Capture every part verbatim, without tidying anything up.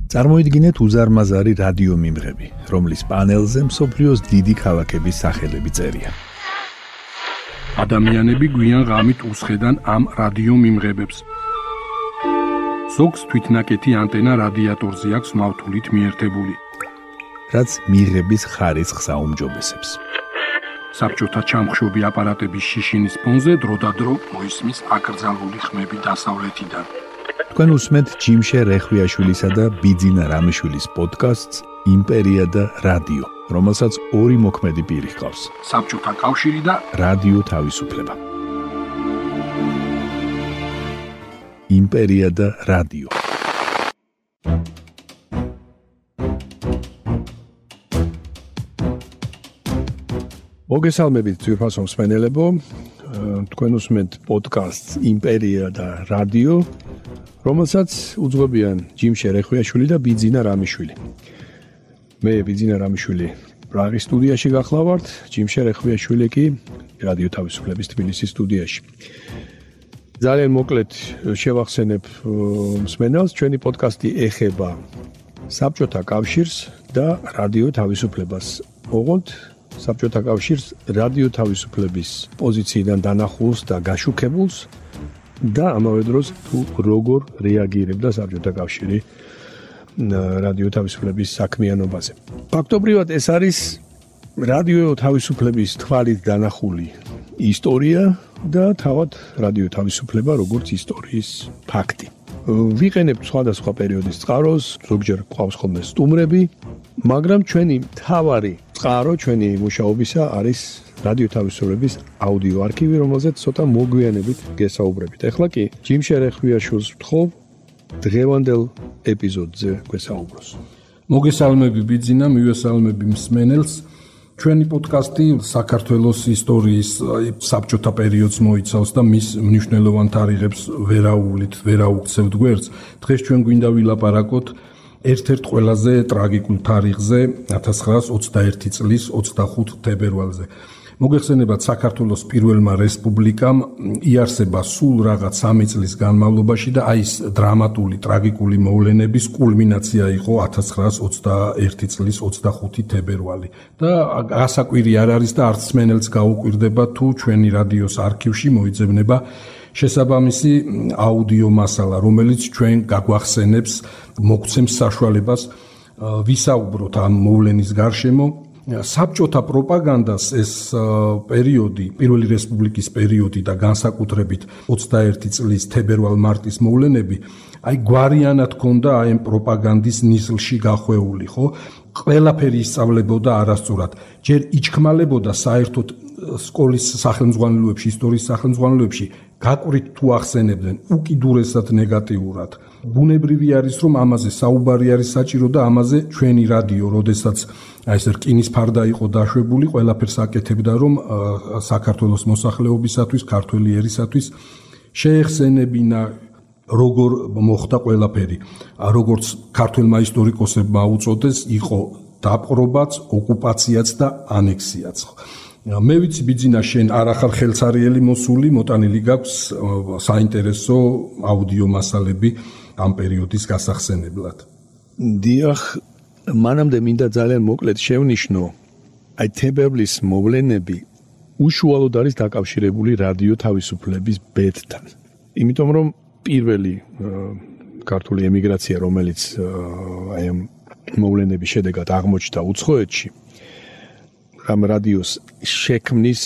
წარმოიდგინეთ უზარმაზარი რადიო მიმღები, რომლის პანელზე მსოფლიოს დიდი ქალაქების სახელები წერია. ადამიანები გვიან ღამით უსხედან ამ რადიო მიმღებებს. ზოგს თვითნაკეთი ანტენა რადიატორზე აქვს მავთულით მიერთებული, რაც მიღების ხარისხს აუმჯობესებს. საბჭოთა ჩამხშობი აპარატების შიშინის ფონზე დროდადრო მოისმის აკრძალული ხმები დასავლეთიდან. თქვენ უსმენთ ჯიმშე რეხვიაშვილისა და ბიძინა რამიშვილის პოდკასტს იმპერია და რადიო, რომელსაც ორი მოქმედი პირი ჰყავს. საბჭოთა კავშირი და რადიო თავისუფლება. იმპერია და რადიო. მოგესალმებით ძვირფასო მსმენელებო, თქვენ უსმენთ პოდკასტს იმპერია და რადიო, რომელსაც უძღვებიან ჯიმშე რეხვიაშვილი და ბიძინა რამიშვილი. მე ბიძინა რამიშვილი პრაღის სტუდიაში გახლავართ, ჯიმშე რეხვიაშვილი კი რადიო თავისუფლების თბილისის სტუდიაში. ძალიან მოკლედ შევახსენებ მსმენელს, ჩვენი პოდკასტი ეხება საბჭოთა კავშირს და რადიო თავისუფლებას. ოღონდ საბჭოთა კავშირს რადიო თავისუფლების პოზიციიდან დანახულს და გაშუქებულს და ამავე დროს თუ როგორ რეაგირებდა საბჭოთა კავშირი რადიო თავისუფლების საქმიანობაზე. ფაქტობრივად ეს არის რადიო თავისუფლების თვალით დანახული ისტორია და თავად რადიო თავისუფლება როგორც ისტორიის ფაქტი. ვიყენებთ სხვადასხვა პერიოდის წყაროს, ზოგჯერ გვყავს ხოლმე სტუმრები, მაგრამ ჩვენი მთავარი წყარო ჩვენი მუშაობისა არის რადიო თავისუფლების აუდიო არქივი, რომელზეც ცოტა მოგვიანებით გესაუბრებით. ეხლა კი ჯიმშე რეხვიაშვილს ვთხოვ დღევანდელ ეპიზოდზე გვესაუბროს. მოგესალმები ბიძინა, მივესალმები მსმენელს. ჩვენი პოდკასტი საქართველოს ისტორიის საბჭოთა პერიოდს მოიცავს და მის მნიშვნელოვან თარიღებს ვერაუვლით, ვერაუქცევთ გვერდს. დღეს ჩვენ გვინდა ვილაპარაკოთ ერთ-ერთ ყველაზე ტრაგიკულ თარიღზე, ათას ცხრაას ოცდაერთი წლის ოცდახუთი თებერვალზე. მოგეხსენებათ, საქართველოს პირველმა რესპუბლიკამ იარსება სულ რაღაც სამი წლის განმავლობაში და აი ეს დრამატული, ტრაგიკული მოვლენების კულმინაცია იყო ათას ცხრაას ოცდაერთი წლის ოცდახუთი თებერვალი. და გასაკვირი არ არის და არც მსმენელს გაუკვირდება თუ ჩვენი რადიოს არქივში მოიძებნება შესაბამისი აუდიო მასალა, რომელიც ჩვენ გაგვახსენებს, მოგცემს საშუალებას ვისაუბროთ ამ მოვლენის გარშემო. საბჭოთა პროპაგანდას ეს პერიოდი, პირველი რესპუბლიკის პერიოდი და განსაკუთრებით ოცდაერთი წლის თებერვალ-მარტის მოვლენები, აი გვარიანად ჰქონდა აი ამ პროპაგანდის ნისლში გახვეული, ხო? ყველაფერი ისწავლებოდა არასწორად. ჯერ იჩქმალებოდა საერთოდ სკოლის სახელმძღვანელოებში, ისტორიის სახელმძღვანელოებში გაკვირით თუ ახსენებდნენ უკიდურესად ნეგატიურად. ბუნებრივი არის, რომ ამაზე საუბარი არის საჭირო და ამაზე ჩვენი რადიო, როდესაც აი ეს რკინის ფარდა იყო დაშვებული, ყველაფერს აკეთებდა, რომ საქართველოს მოსახლეობისათვის, ქართველი ერისათვის შეეხსენებინა როგორ მოხდა ყველაფერი. როგორც ქართველმა ისტორიკოსებმა უწოდეს, იყო დაპყრობაც, ოკუპაციაც და ანექსიაც. მე ვიცი ბიძინა, შენ არ ახარ ხელსარიელი მოსული, მოტანილი გაქვს საინტერესო აუდიო მასალები ამ პერიოდის გასახსენებლად. დიახ, მანამდე მინდა ძალიან მოკლედ შევნიშნო, აი თებერვლის მოვლენები უშუალოდ არის დაკავშირებული რადიო თავისუფლების ბედთან. იმიტომ რომ პირველი ქართული ემიგრაცია, რომელიც აი ამ მოვლენების შედეგად აღმოჩნდა უცხოეთში, ამ რადიოს შექმნის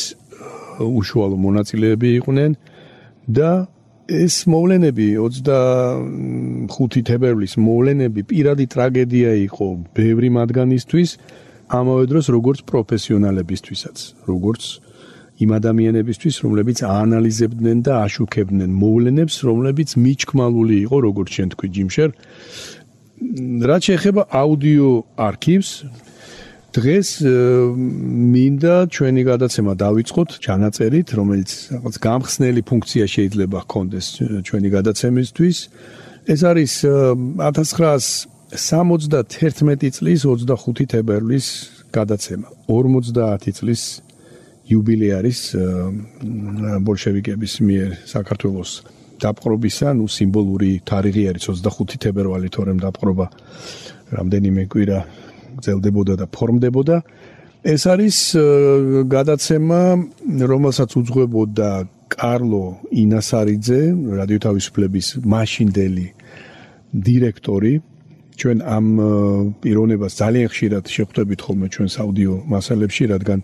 უშუალო მონაწილეები იყვნენ და ეს მოვლენები ოცდახუთი თებერვლის მოვლენები პირადი ტრაგედია იყო ბევრი მათგანისთვის, ამავე დროს როგორც პროფესიონალებისთვისაც, როგორც იმ ადამიანებისთვის, რომლებიც აანალიზებდნენ და აშუქებდნენ მოვლენებს, რომლებიც მიჩქმალული იყო, როგორც შენ თქვი ჯიმშერ. რაც შეეხება აუდიო არქივს, დღეს მინდა ჩვენი გადაცემა დავიწყოთ ჩანაწერით, რომელიც რაღაც გამხსნელი ფუნქცია შეიძლება ჰქონდეს ჩვენი გადაცემისთვის. ეს არის ათას ცხრაას სამოცდათერთმეტი წლის ოცდახუთი თებერვლის გადაცემა. ორმოცდაათი წლის იუბილე არის ბოლშევიკების მიერ საქართველოს დაპყრობისა, ნუ სიმბოლური თარიღი არის ოცდახუთი თებერვალი, თორემ დაპყრობა რამდენიმე კვირა გრძელდებოდა და ფორმდებოდა. ეს არის გადაცემა, რომელსაც უძღვებოდა კარლო ინასარიძე, რადიო თავისუფლების მაშინდელი დირექტორი. ჩვენ ამ პიროვნებას ძალიან ხშირად შევხვდებით ხოლმე ჩვენს აუდიო მასალებში, რადგან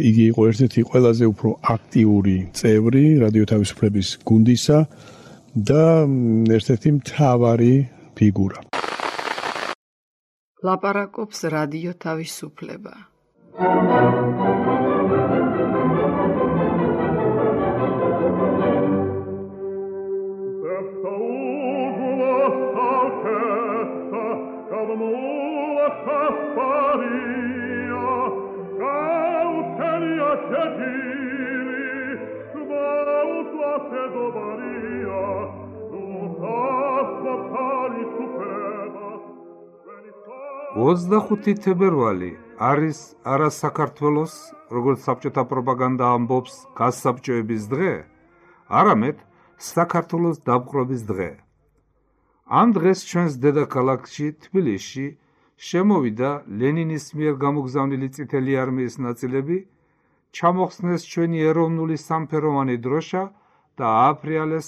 იგი იყო ერთ-ერთი ყველაზე უფრო აქტიური წევრი რადიო თავისუფლების გუნდისა და ერთ-ერთი მთავარი ფიგურა. ლაპარაკობს რადიო თავისუფლება. ოცდახუთი თებერვალი არის არა საქართველოს, როგორც საბჭოთა პროპაგანდა ამბობს, გასაბჭოების დღე, არამედ საქართველოს დაპყრობის დღე. ამ დღეს ჩვენს დედაქალაქში, თბილისში, შემოვიდა ლენინის მიერ გამოგზავნილი წითელი არმიის ნაწილები, ჩამოხსნეს ჩვენი ეროვნული სამფეროვანი დროშა და ააფრიალეს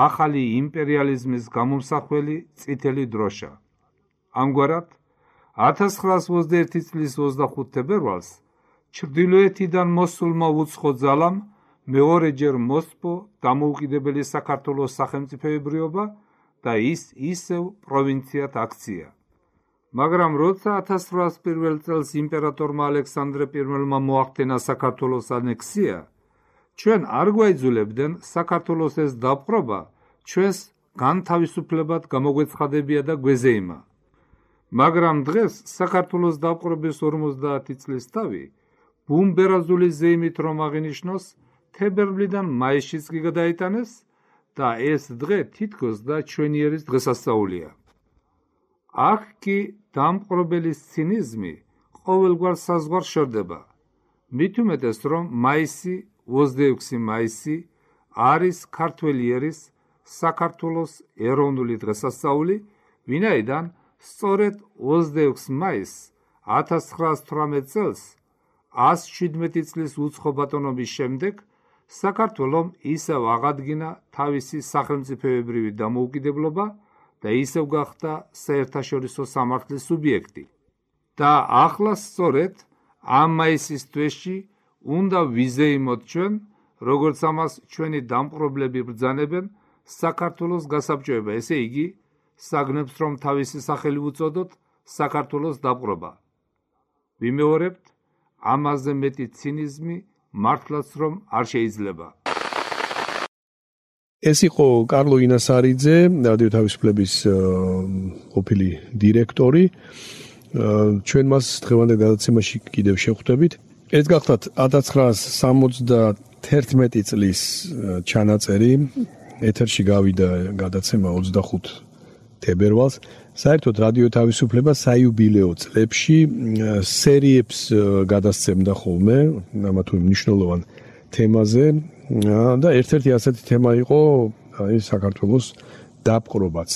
ახალი იმპერიალიზმის გამომსახველი წითელი დროშა. ამგვარად, ათას ცხრაას ოცდაერთი წლის ოცდახუთ თებერვალს ჩრდილოეთიდან მოსულმა უცხო ძალამ მეორეჯერ მოსპო დამოუკიდებელი საქართველოს სახელმწიფოებრიობა და ის ისევ პროვინციად აქცია. მაგრამ როცა ათას ცხრაას პირველ წელს იმპერატორმა ალექსანდრე პირველმა მოახდენა საქართველოს ანექსია, ჩვენ არ გვაიძულებდნენ საქართველოს ეს დაპყრობა ჩვენს განთავისუფლებად გამოგვეცხადებია და გვეზეიმა. მაგრამ დღეს საქართველოს დაპყრობის ორმოცდაათი წლის თავი ბუმბერაზული ზეიმით რომ აღინიშნოს, თებერვლიდან მაისშიც კი გადაიტანეს და ეს დღე თითქოს და ჩვენიერის დღესასწაულია. აქ კი დამპყრობელის ცინიზმი ყოველგვარ საზღვარს შორდება. მით უმეტეს რომ მაისი, ოცდაექვსი მაისი არის ქართველი ერის საქართველოს ეროვნული დღესასწაული, ვინაიდან სწორედ ოცდაექვსი მაისს ათას ცხრაას თვრამეტ წელს ას შვიდმეტი წლის უცხო ბატონობის შემდეგ საქართველომ ისევ აღადგინა თავისი სახელმწიფოებრივი დამოუკიდებლობა და ისევ გახდა საერთაშორისო სამართლის სუბიექტი. და ახლა სწორედ ამ მაისის თვეში უნდა ვიზეიმოთ ჩვენ, როგორც ამას ჩვენი დამპყრობლები ბრძანებენ, საქართველოს გასაბჭოება, ესე იგი, საგნებს რომ თავისი სახელი უწოდოთ საქართველოს დაპყრობა. ვიმეორებთ, ამაზე მეტი ცინიზმი მართლაც რომ არ შეიძლება. ეს იყო კარლო ინასარიძე, რადიო თავისუფლების ყოფილი დირექტორი. ჩვენ მას დღევანდელ გადაცემაში კიდევ შევხვდებით. ეს გახლავთ ათას ცხრაას სამოცდათერთმეტი წლის ჩანაწერი. ეთერში გავიდა გადაცემა ოცდახუთ თებერვალს. საერთოდ რადიო თავისუფლება საიუბილეო წლებში სერიებს გადასცემდა ხოლმე ამა თუ მნიშვნელოვან თემაზე და ერთ-ერთი ასეთი თემა იყო აი საქართველოს დაპყრობაც.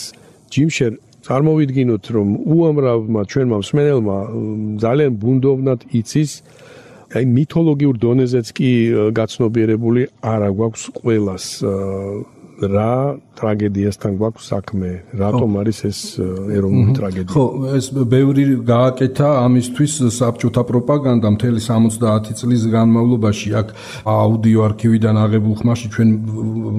ჯიმშერ, წარმოვიდგინოთ, რომ უამრავმა ჩვენმა მსმენელმა ძალიან ბუნდოვნად იცის, აი მითოლოგიურ დონეზეც კი გაცნობიერებული არა გვაქვს ყველას რა ტრაგედიასთან გვაქვს საქმე, რატომ არის ეს ეროვნული ტრაგედია? ხო, ეს ბევრი გააკეთა ამისთვის საბჭოთა პროპაგანდა მთელი სამოცდაათი წლის განმავლობაში. აქ აუდიო არქივიდან აღებულ ხმაში ჩვენ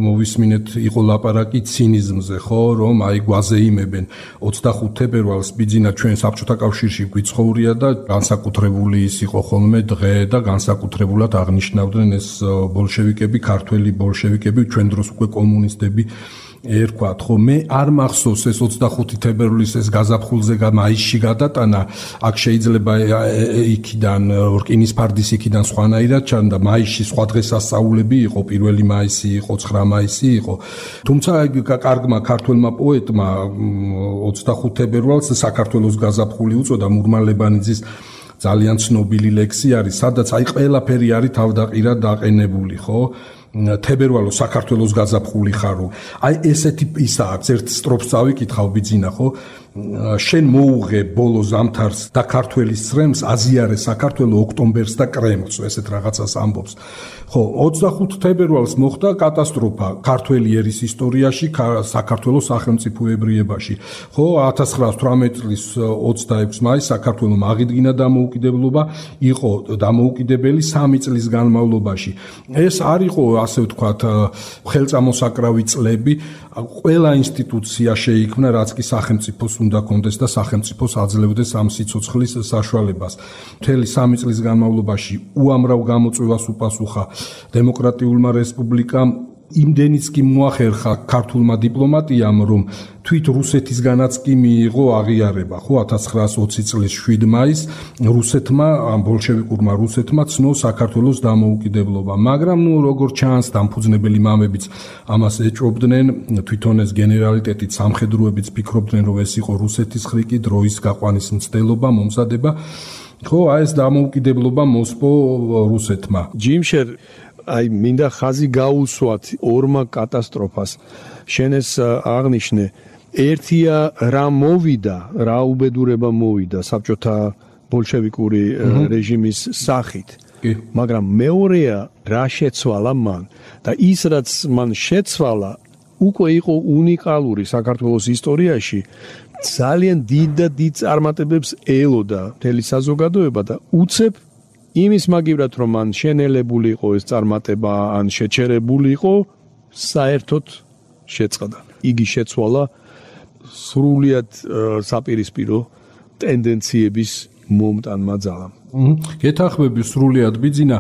მოვისმინეთ იყო ლაპარაკი ცინიზმზე, ხო, რომ აი გვაზეიმებენ ოცდახუთ თებერვალს ბიძინა ჩვენ საბჭოთა კავშირში გვიცხოვრია და განსაკუთრებული ის იყო ხოლმე დღე და განსაკუთრებულად აღნიშნავდნენ ეს ბოლშევიკები, ქართველი ბოლშევიკები, ჩვენ დროს უკვე კომუნისტები ერქვათ, ხო, მე არ მახსოვს ეს ოცდახუთი თებერვლის ეს გაზაფხულზე მაისში გადატანა, აქ შეიძლება იქიდან რკინის ფარდის იქიდან სხვანაირად ჩანდა, მაისში სხვა დღესასწაულები იყო, პირველი მაისი იყო, ცხრა მაისი იყო. თუმცა კარგმა ქართველმა პოეტმა ოცდახუთ თებერვალს საქართველოს გაზაფხული უწოდა, მურმანლებანიძის ძალიან ცნობილი ლექსი არის, სადაც აი ყველაფერი არის თავდაყირად დაყენებული, ხო? თებერვალო საქართველოს გაზაფხული ხარო. აი ესეთი ისაა, ერთ სტროფს წავიკითხავ ბიძინა, ხო? შენ მოუღე ბოლო ზამთარს და ქართველის წრემს აზიარე საქართველოს ოქტომბერს და კრემლს, ესეთ რაღაცას ამბობს. ხო, ოცდახუთი თებერვალს მოხდა კატასტროფა ქართველი ერის ისტორიაში, საქართველოს სახელმწიფოებრიებაში. ხო, ათას ცხრაასი თვრამეტი წლის ოცდაექვსი მაისს საქართველოს აღიდგინა დამოუკიდებლობა, იყო დამოუკიდებელი სამი წლის განმავლობაში. ეს არ იყო, ასე ვთქვათ, ხელწამოსაკრავი წლები, ყველა ინსტიტუცია შეიქმნა, რაც კი სახელმწიფოს უნდა კონდეს და სახელმწიფოს აძლევდეს ამ სიცოცხლის საშუალებას. მთელი სამი წლის განმავლობაში უამრავ გამოწვევას უპასუხა დემოკრატიულმა რესპუბლიკამ, იმდენიც კი მოახერხა ქართულმა დიპლომატიამ, რომ თვით რუსეთისგანაც კი მიიღო აღიარება, ხო, ათას ცხრაასი ოცი წლის შვიდი მაისს რუსეთმა, ამ ბოლშევიკურმა რუსეთმა ცნო საქართველოს დამოუკიდებლობა, მაგრამ ნუ როგორ ჩანს, დამფუძნებელი მამებიც ამას ეჭვობდნენ, თვითონ ეს გენერალიტეტიც, სამხედროებიც ფიქრობდნენ, რომ ეს იყო რუსეთის ხრიკი, დროის გაყვანის მცდელობა, მომზადება, ხო, აი ეს დამოუკიდებლობა მოსპო რუსეთმა. ჯიმშერ, აი მინდა ხაზი გაუსვათ ორმა კატასტროფას. შენ ეს აღნიშნე, ერთია რა მოვიდა, რა უბედურება მოვიდა საბჭოთა ბოლშევიკური რეჟიმის სახით. მაგრამ მეორეა რა შეცვალა მან და ის რაც მან შეცვალა უკვე იყო უნიკალური საქართველოს ისტორიაში, ძალიან დიდ და დიდ წარმატებებს ელოდა მთელი საზოგადოება და უცებ იმის მაგივრად რომ მან შენელებული იყო ეს წარმატება, ან შეჩერებული იყო, საერთოდ შეწყდა. იგი შეცვალა სრულიად საპირისპირო ტენდენციების მომტანმა ძალამ. გეთანხმები სრულიად ბიძინა,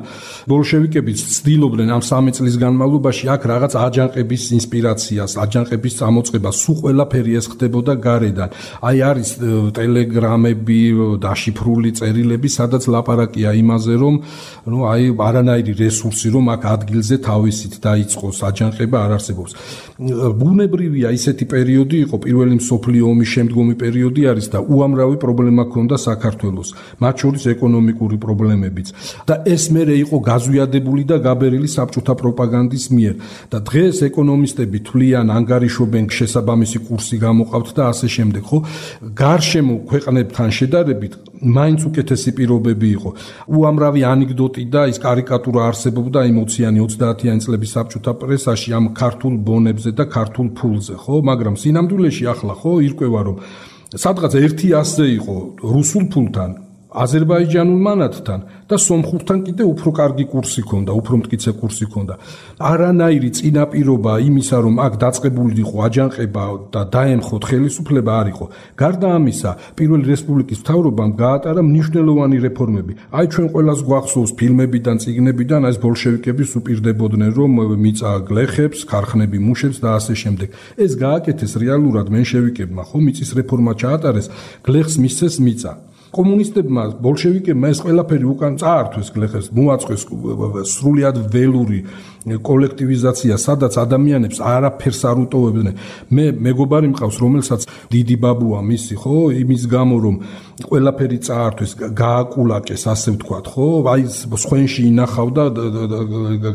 ბოლშევიკებიც ცდილობდნენ ამ სამი წლის განმავლობაში აქ რაღაც აჯანყების ინსპირაციას, აჯანყების წამოწყებას, სულ ყველაფერი ეს ხდებოდა გარედან. აი არის ტელეგრამები, დაშიფრული წერილები, სადაც ლაპარაკია იმაზე, რომ ნუ აი არანაირი რესურსი რომ აქ ადგილზე თავისით დაიწყოს აჯანყება არ არსებობს. ბუნებრივია ისეთი პერიოდი იყო, პირველი მსოფლიო ომის შემდგომი პერიოდი არის და უამრავი პრობლემა ჰქონდა საქართველოს, მათ შორის ეკონომიკური პრობლემებიც და ეს მერე იყო გაზვიადებული და გაბერილი საბჭოთა პროპაგანდის მიერ და დღეს ეკონომისტები თვლიან, ანგარიშობენ, შესაბამისი კურსი გამოყავთ და ასე შემდეგ, ხო? გარშემო ქვეყნებთან შედარებით მაინც უკეთესი პირობები იყო. უამრავი ანეკდოტი და ის კარიკატურა არსებობდა ემოციანი ოცდაათიანი წლების საბჭოთა პრესაში ამ ქართულ ბონებზე და ქართულ ფულზე, ხო? მაგრამ სინამდვილეში ახლა ხო ირკვევა, რომ სადღაც ერთი ასზე იყო რუსულ ფულთან, აზერბაიჯანულ მანათთან და სომხურთან კიდე უფრო კარგი კურსი ჰქონდა, უფრო მტკიცე კურსი ჰქონდა. არანაირი წინაპირობა იმისა, რომ აქ დაწყებული იყო აჯანყება და დაემხოთ ხელისუფლება არ იყო. გარდა ამისა, პირველი რესპუბლიკის მთავრობამ გაატარა მნიშვნელოვანი რეფორმები. აი ჩვენ ყველას გვახსოვს ფილმებიდან, წიგნებიდან, ეს ბოლშევიკების უპირდებოდნენ, რომ მიწა გლეხებს, ქარხნები მუშებს და ასე შემდეგ. ეს გააკეთეს რეალურად მენშევიკებმა, ხო, მიწის რეფორმა ჩაატარეს, გლეხს მისცეს მიწა. კომუნისტებმა, ბოლშევიკებმა ეს ყველაფერი უკან წაართვეს გლეხებს, მოაწყვეს სრულიად ველური კოლექტივიზაცია, სადაც ადამიანებს არაფერს არ უტოვებდნენ. მე მეგობარი მყავს, რომელსაც დიდი ბაბუა მისი, ხო, იმის გამო რომ ყველაფერი წაართვეს, გააკულაკეს, ასე ვთქვათ, ხო, აი სხვენში ინახავდა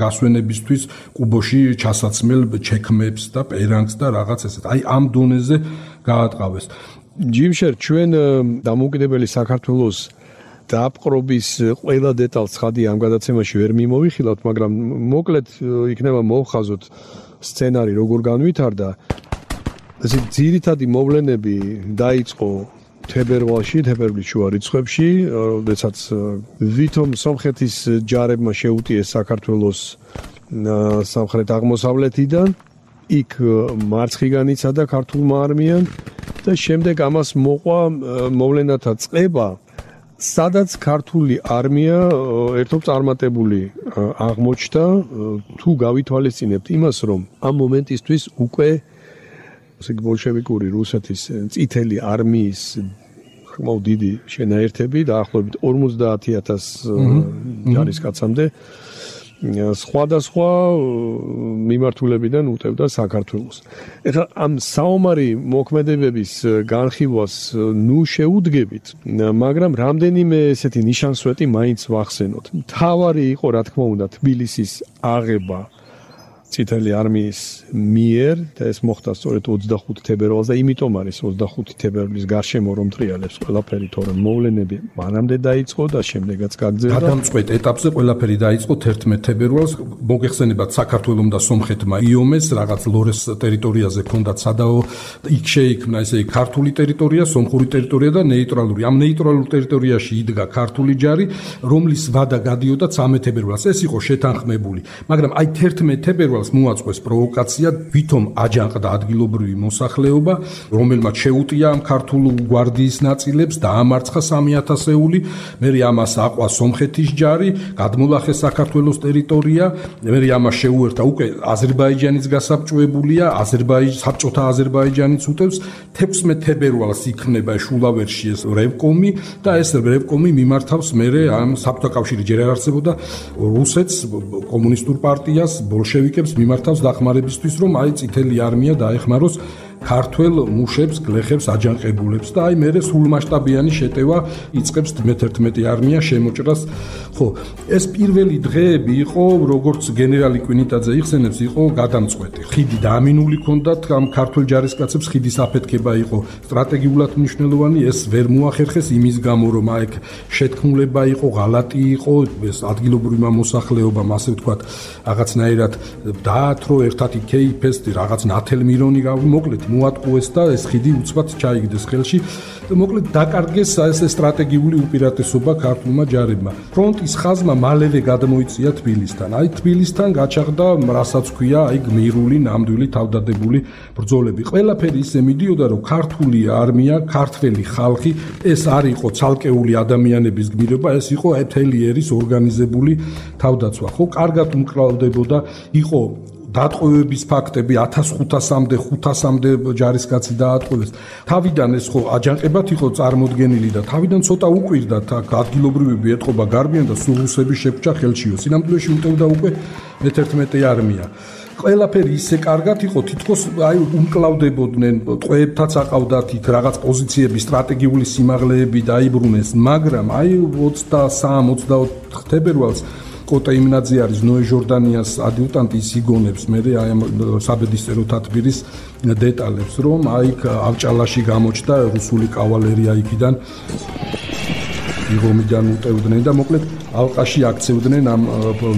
გასვენებისთვის კუბოში ჩასაცმელ ჩექმებს და პერანგს და რაღაც ესეთ. აი ამ დონეზე გაატყავეს. ჯიმშერ, ჩვენ დამოუკიდებელი საქართველოს დაპყრობის ყველა დეტალს ხადი ამ გადაცემაში ვერ მიმოვიხილავთ, მაგრამ მოკლედ იქნება მოვხაზოთ სცენარი როგორ განვითარდა. ეს ძირითადი მოვლენები დაიწყო თებერვალში, თებერვლის შუა რიცხვებში, როდესაც ვითომ სომხეთის ჯარებმა შეუტიეს საქართველოს სამხრეთ აღმოსავლეთიდან, იქ მარცხიდან იცადა ქართულმა არმიამ და შემდეგ ამას მოყვა მოვლენათა წყება, სადაც ქართული არმია ერთობ წარმატებული აღმოჩნდა, თუ გავითვალისწინებთ იმას, რომ ამ მომენტისთვის უკვე ბოლშევიკური რუსეთის წითელი არმიის ხმაო დიდი შენაერთები დაახლოებით ორმოცდაათი ათასი ჯარისკაცამდე სხვადასხვა მიმართულებიდან უტევდა საქართველოს. ეხლა ამ საომარი მოქმედებების განხილვას ნუ შეუდგებით, მაგრამ რამდენიმე ესეთი ნიშანსვეტი მაინც ვახსენოთ. მთავარი იყო, რა თქმა უნდა, თბილისის აღება წითელი არმიის მიერ და ეს მოხდა სწორედ ოცდახუთი თებერვალს და იმიტომ არის ოცდახუთი თებერვლის გარშემო რომ ტრიალებს ყველაფერი, თორემ მოვლენები მანამდე დაიწყო და შემდეგაც გაგრძელდა. გადამწყვეტ ეტაპზე ყველაფერი დაიწყო თერთმეტ თებერვალს. მოგეხსენებათ საქართველომ და სომხეთმა იომეს რაღაც ლორეს ტერიტორიაზე ჰქონდათ სადაო, იქ შეიქმნა ესე ქართული ტერიტორია, სომხური ტერიტორია და ნეიტრალური. ამ ნეიტრალურ ტერიტორიაში იდგა ქართული ჯარი, რომლის ვადა გადიოდა ცამეტ თებერვალს. ეს იყო შეთანხმებული, მაგრამ აი თერთმეტ თებერვალს მოაწყვეს პროვოკაცია, ვითომ აჯანყდა ადგილობრივი მოსახლეობა, რომელმაც შეუტია ამ ქართულ გვარდიის ნაწილებს, დაამარცხა სამი ათასეული, მერე ამას აყვა სომხეთის ჯარი, გადმოლახეს საქართველოს ტერიტორია, მერე ამას შეუერთა უკვე აზერბაიჯანიც გასაბჭოებულია, აზერბაიჯ საბჭოთა აზერბაიჯანიც უტევს. თექვსმეტ თებერვალს იქმნება შულავერში ეს რევკომი და ეს რევკომი მიმართავს მერე ამ საბჭოთა კავშირი ჯერ არ არსებობდა რუსეთს, კომუნისტურ პარტიას, ბოლშევიკებს მიმართავს დახმარებისთვის, რომ აი წითელი არმია დაეხმაროს ქართველ მუშებს, გლეხებს, აჯანყებულებს და აი მერე სრულმასშტაბიანი შეტევა იწყებს მეთერთმეტი არმია შემოჭრას. ხო, ეს პირველი დღეები იყო, როგორც გენერალი კვინიტაძე იხსენებს, იყო გადამწყვეტი. ხიდი დაამინული ჰქონდათ ამ ქართველ ჯარისკაცებს, ხიდის აფეთქება იყო სტრატეგიულად მნიშვნელოვანი, ეს ვერ მოახერხეს იმის გამო, რომ აიქ შეთქმულება იყო, ღალატი იყო, ეს ადგილობრივმა მოსახლეობამ, ასე ვთქვათ, რაღაცნაირად დაათრო, ერთად იქეიფეს, რაღაც ნათელმირონი მოკლედ მოატყუეს და ეს ხიდი უცბად ჩაიგდეს ხელში. მოკლედ დაკარგეს ეს სტრატეგიული უპირატესობა ქართულმა ჯარებმა. ფრონტის ხაზმა მალევე გადმოიწია თბილისთან. აი თბილისთან გაჩაღდა, რასაც ქვია, აი გმირული, ნამდვილი თავდადებული ბრძოლები. ყველაფერი ისე მიდიოდა, რომ ქართული არმია, ქართველი ხალხი, ეს არ იყო ცალკეული ადამიანების გმირობა, ეს იყო მთელი ერის ორგანიზებული თავდაცვა. ხო, კარგად უმკლავდებოდა, იყო დატყვევების ფაქტები ათას ხუთასამდე ხუთასამდე ჯარისკაცი დაატყვევეს. თავიდან ეს ხო აჯანყებად იყო წარმოდგენილი და თავიდან ცოტა უკვირდათ აქ ადგილობრივები ეტყობა გარბიან და სულ რუსები შეგვჭა ხელშიო. სინამდვილეში უტევდა უკვე მეთერთმეტე არმია. ყველაფერი ისე კარგად იყო, თითქოს აი უმკლავდებოდნენ, ტყვეებთაც აყავდათ იქ რაღაც პოზიციები, სტრატეგიული სიმაღლეები დაიბრუნეს, მაგრამ აი ოცდასამი ოცდაოთხ თებერვალს კოტე იმნაძე არის ნოე ჟორდანიას ადიუტანტი, ის იგონებს მერე აი ამ საბედისწერო თათბირის დეტალებს, რომ აი ავჭალაში გამოჩნდა რუსული კავალერია იქიდან იღომიდან უტევდნენ და მოკლედ ალყაში აქცევდნენ ამ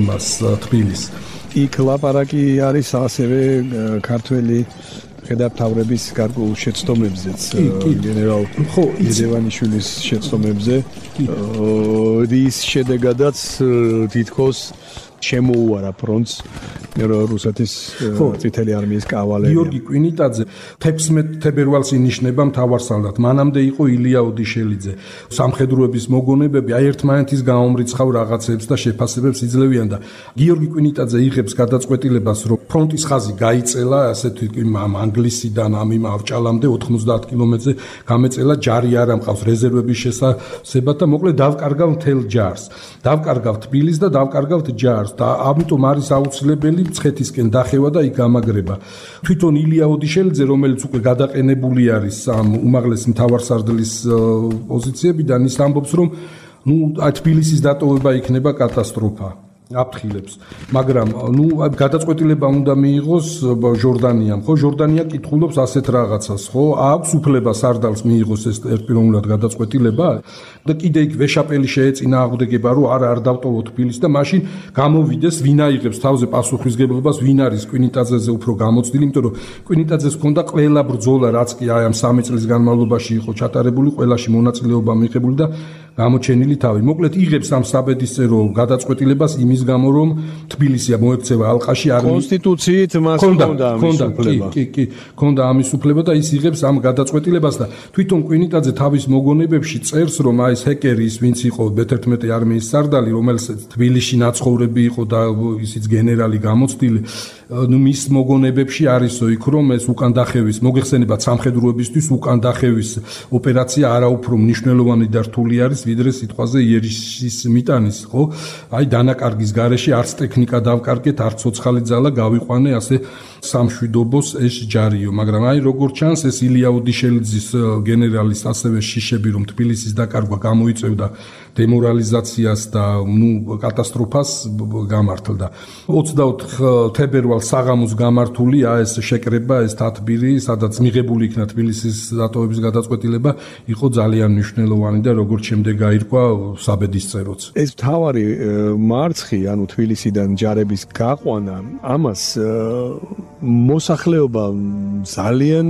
მას თბილისს. იქ ლაპარაკი არის ასევე ქართველი ხედართავრების გარკვეულ შეცდომებზეც, გენერალ ედევანიშვილის შეცდომებზე, რის შედეგადაც თითქოს შემოუარა ფრონტს რუსეთის წითელი არმიის კავალერია. გიორგი კვინიტაძე თექვსმეტ თებერვალს ინიშნება მთავარსარდალად. მანამდე იყო ილია ოდიშელიძე. სამხედროების მოგონებები აი ერთმანეთის გამომრიცხავ რაღაცებს და შეფასებებს იძლევიან და გიორგი კვინიტაძე იღებს გადაწყვეტილებას, რომ ფრონტის ხაზი გაიწელა, ასეთი ამ ანგლისიდან ამ იმ ავჭალამდე ოთხმოცდაათ კილომეტრზე გამეწელა, ჯარი არ ამყავს რეზერვების შესაძლებად და მოკლედ დავკარგავ მთელ ჯარს. დავკარგავ თბილისს და დავკარგავ ჯარს და ამიტომ არის აუცილებელი მცხეთისკენ დახევა და იქ გამაგრება. თვითონ ილია ოდიშელიძე, რომელიც უკვე გადაყენებული არის ამ უმაღლესი მთავარსარდლის პოზიციებიდან, ის ამბობს, რომ ნუ თბილისის დატოვება იქნება კატასტროფა. აფრთხილებს, მაგრამ ნუ გადაწყვეტილება უნდა მიიღოს ჟორდანიამ, ხო? ჟორდანია კითხულობს ასეთ რაღაცას, ხო? აქვს უფლება სარდალს მიიღოს ეს ერთპიროვნულად გადაწყვეტილება და კიდე იქ ვეშაპელი შეეწინა აღუდგება, რომ არა არ დავტოვო თბილისს და მაშინ გამოვიდეს, ვინ აიღებს თავზე პასუხისგებლობას, ვინ არის კვინიტაძეზე უფრო გამოცდილი, იმიტომ რომ კვინიტაძეს ჰქონდა ყველა ბრძოლა, რაც კი აი ამ სამი წლის განმავლობაში იყო ჩატარებული, ყველაში მონაწილეობა მიიღებული და გამოჩენილი თავი. მოკლედ იღებს ამ საბედისწერო გადაწყვეტილებას იმის გამო, რომ თბილისია მოექცევა ალყაში არ კონსტიტუციით მას ჰქონდა ამის უფლება. კი, კი, ჰქონდა ამის უფლება და ის იღებს ამ გადაწყვეტილებას და თვითონ კვინიტაძე თავის მოგონებებში წერს, რომ აი ეს ჰეკერი ის ვინც იყო მეთერთმეტე არმიის სარდალი, რომელსაც თბილისში ნაცხოვრები იყო და ისიც გენერალი გამოცდილი, ნუ მის მოგონებებში არისო იქ, რომ ეს უკან დახევის, მოგეხსენებათ სამხედროებისთვის უკან დახევის ოპერაცია არაუფრო მნიშვნელოვანი და რთული არის ვიდრე სიტყვაზე იერიშის მიტანის, ხო? აი დანაკარგის გარეშე არც ტექნიკა დავკარგეთ, არც ცოცხალი ძალა გავიყვანე ასე სამშვიდობოს ეს ჯარიო, მაგრამ აი როგორ ჩანს ეს ილია ოდიშელიძის გენერალის ასევე შიშები, რომ თბილისის დაკარგვა გამოიწევდა დემორალიზაციას და ნუ კატასტროფას გამართლდა. ოცდაოთხ თებერვალს საღამოს გამართულია ეს შეკრება, ეს თათბირი, სადაც მიღებული იქნა თბილისის დატოვების გადაწყვეტილება, იყო ძალიან მნიშვნელოვანი და როგორც შემდეგ გაირკვა საბედისწეროც. ეს მთავარი მარცხი, ანუ თბილისიდან ჯარების გაყვანა, ამას მოსახლეობა ძალიან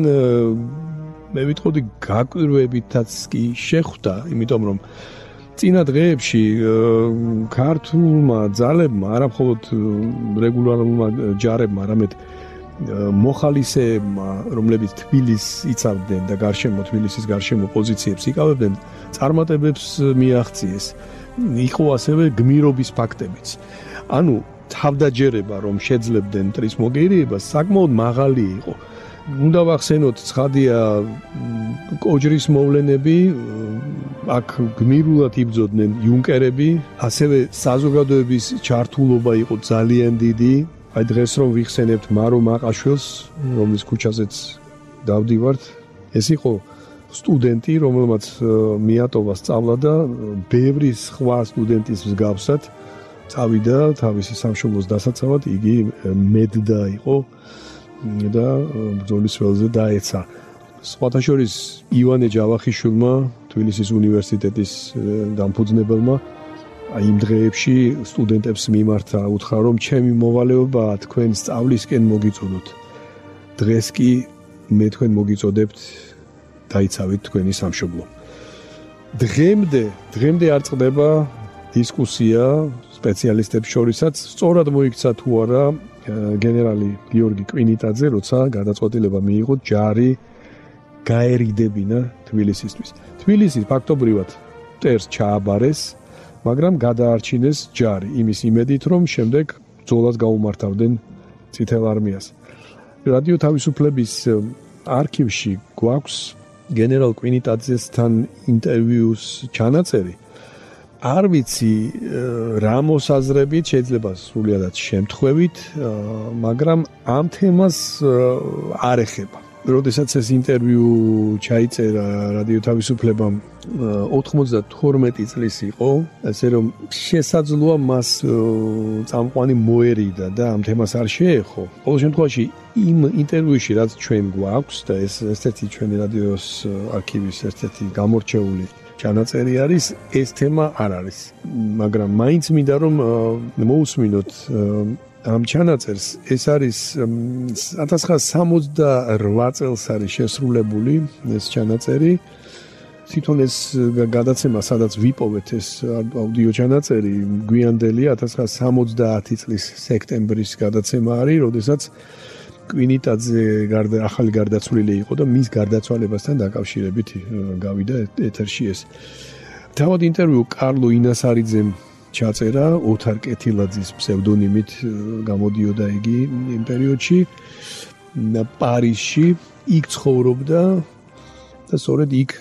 მე ვიტყოდი გაკვირვებითაც კი შეხვდა, იმიტომ რომ წინა დღეებში ქართულმა ძალებმა, არა მხოლოდ რეგულარულმა ჯარებმა, არამედ მოხალისეებმა, რომლებიც თბილისს იცავდნენ და გარშემო თბილისის გარშემო პოზიციებს იკავებდნენ, წარმატებებს მიაღწიეს. იყო ასევე გმირობის ფაქტებიც. ანუ თავდაჯერება, რომ შეძლებდნენ მტრის მოგერიებას, საკმაოდ მაღალი იყო. უნდა ვახსენოთ, ცხადია, კოჯრის მოვლენები, აქ გმირულად იბრძოდნენ იუნკერები, ასევე საზოგადოების ჩართულობა იყო ძალიან დიდი. აი დღეს რომ ვიხსენებთ მარო მაყაშვილს, რომლის ქუჩაზეც დავდივართ, ეს იყო სტუდენტი, რომელმაც მიატოვა სწავლა და ბევრი სხვა სტუდენტის მსგავსად წავიდა თავისი სამშობლოს დასაცავად, იგი მედდა იყო და ბრძოლის ველზე დაეცა. სხვათა შორის ივანე ჯავახიშვილმა, თბილისის უნივერსიტეტის დამფუძნებელმა, აი იმ დღეებში სტუდენტებს მიმართა, უთხრა რომ ჩემი მოვალეობაა თქვენ სწავლისკენ მოგიწოდოთ. დღეს კი მე თქვენ მოგიწოდებთ დაიცავით თქვენი სამშობლო. დღემდე, დღემდე არ წყდება დისკუსია სპეციალისტებს შორისაც, სწორად მოიქცა თუ არა გენერალი გიორგი კვინიტაძე, როცა გადაწყვეტილება მიიღო ჯარი გაერიდებინა თბილისისთვის. თბილისი ფაქტობრივად მტერს ჩააბარეს, მაგრამ გადაარჩინეს ჯარი იმის იმედით, რომ შემდეგ ბრძოლას გაუმართავდნენ წითელ არმიას. რადიო თავისუფლების არქივში გვაქვს გენერალ კვინიტაძესთან ინტერვიუს ჩანაწერი. არ ვიცი რა მოსაზრებით, შეიძლება სრულიადად შემთხვევით, მაგრამ ამ თემას არ ეხება. როდესაც ეს ინტერვიუ ჩაიწერა რადიო თავისუფლებამ ოთხმოცდათორმეტი წლის იყო, ასე რომ შესაძლოა მას წამყვანი მოერიდა და ამ თემას არ შეეხო. ყოველ შემთხვევაში იმ ინტერვიუში, რაც ჩვენ გვაქვს და ეს ერთ-ერთი ჩვენი რადიოს არქივის ერთ-ერთი გამორჩეული ჩანაწერი არის, ეს თემა არ არის. მაგრამ მაინც მინდა რომ მოусმინოთ ამ ჩანაწერს. ეს არის ათას ცხრაასა სამოცდაორ წელს არის შესრულებული ეს ჩანაწერი. თვითონ ეს გადაცემა, სადაც ვიპოვეთ ეს აუდიო ჩანაწერი, გვიანდელი ათას ცხრაასა სამოცდაათი წლის სექტემბრის გადაცემა არის, როდესაც კვინიტაძე გარდა ახალი გარდაცვლილი იყო და მის გარდაცვალებასთან დაკავშირებით გავიდა ეთერში ეს. თავად ინტერვიუ კარლო ინასარიძემ ჩაწერა, ოთარ კეთილაძის ფსევდონიმით გამოდიოდა იგი იმ პერიოდში პარიზში, იქ ცხოვრობდა და სწორედ იქ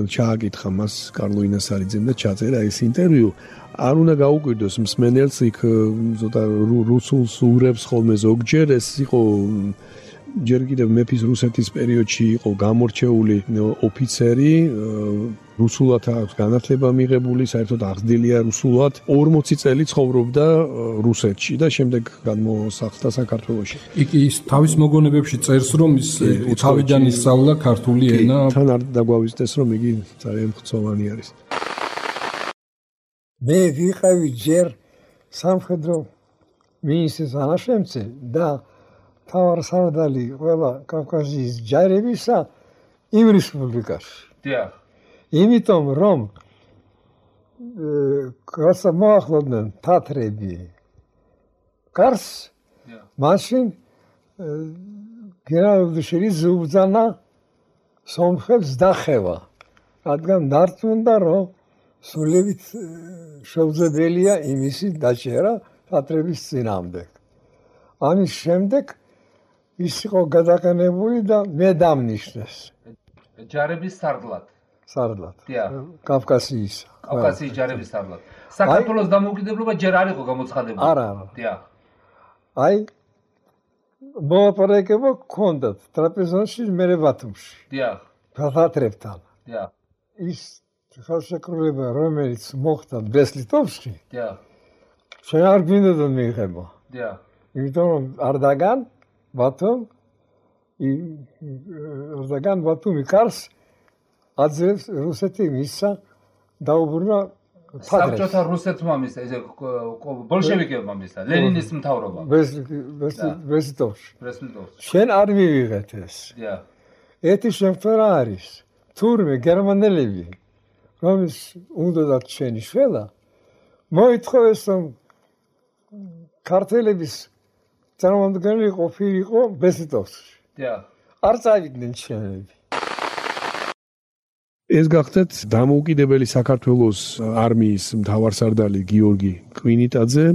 ჩააკითხა მას კარლო ინასარიძემ და ჩაწერა ეს ინტერვიუ. არ უნდა გაუკვირდოს მსმენელს, იქ ზოთა რუსულს უღრებს ხოლმე ზოგჯერ, ეს იყო ჯერ კიდევ მეფის რუსეთის პერიოდში იყო გამორჩეული ოფიცერი, რუსულად აქვს განათლება მიღებული, საერთოდ აღზრდილია რუსულად, ორმოცი წელი ცხოვრობდა რუსეთში და შემდეგ გადმოსახლდა საქართველოში. იქ ის თავის მოგონებებში წერს, რომ ის თავიდან ისწავლა ქართული ენა. თან არ დაგვავიწყდეს, რომ იგი ძალიან მხცოვანი არის. მე ვიყავი ჯერ სამხედრო მინისტრის ანაშემწე და თავარსარდალი ყველა კავკასიის ჯარებისა იმ რესპუბლიკაში. დიახ. იმიტომ რომ კაცს მოახლოდნენ თათრები კარს, მაშინ გენერალ-ლეიტენანტი უბრძანა სომხებს დახევა, რადგან დარწმუნდა რომ სულებით შეუძლებელია იმისი დაჭერა თათრების წინააღმდეგ. ამის შემდეგ ის იყო გადაყენებული და მე დამნიშნეს. ჯარების სარდლად. სარდლად. დიახ. კავკასიის. კავკასიის ჯარების სარდლად. საქართველოს დამოუკიდებლობა ჯერ არ იყო გამოცხადებული. არა, არა. დიახ. აი მოლაპარაკება გქონდათ ტრაპეზონში, მე ბათუმში. დიახ. თათრებთან. დიახ. ის ხელშეკრულება, რომელიც მოხდა ბესლიტოვში, დიახ. შენ არ გვინდოდა მიიღება. დიახ. იმიტომ რომ არდაგან ბათუმ არდაგან ბათუმი კარს აძლევს რუსეთი მისცა დაუბრუნა საბჭოთა რუსეთმა მისცა, ესე ბოლშევიკებმა მისცა, ლენინის მთავრობა. ბესლიტოვში. ბესლიტოვში. შენ არ მივიღეთ ეს. დიახ. ეთი შემთხვევა არის. თურმე გერმანელები რომის უნდათ შენი შველა მოითხოვეს რომ ქართველების წარმომადგენელი ყოფილიყო ბესლიტოვში. დიახ. არ წავიდნენ შენები. ეს გახდათ დამოუკიდებელი საქართველოს არმიის მთავარსარდალი გიორგი კვინიტაძე.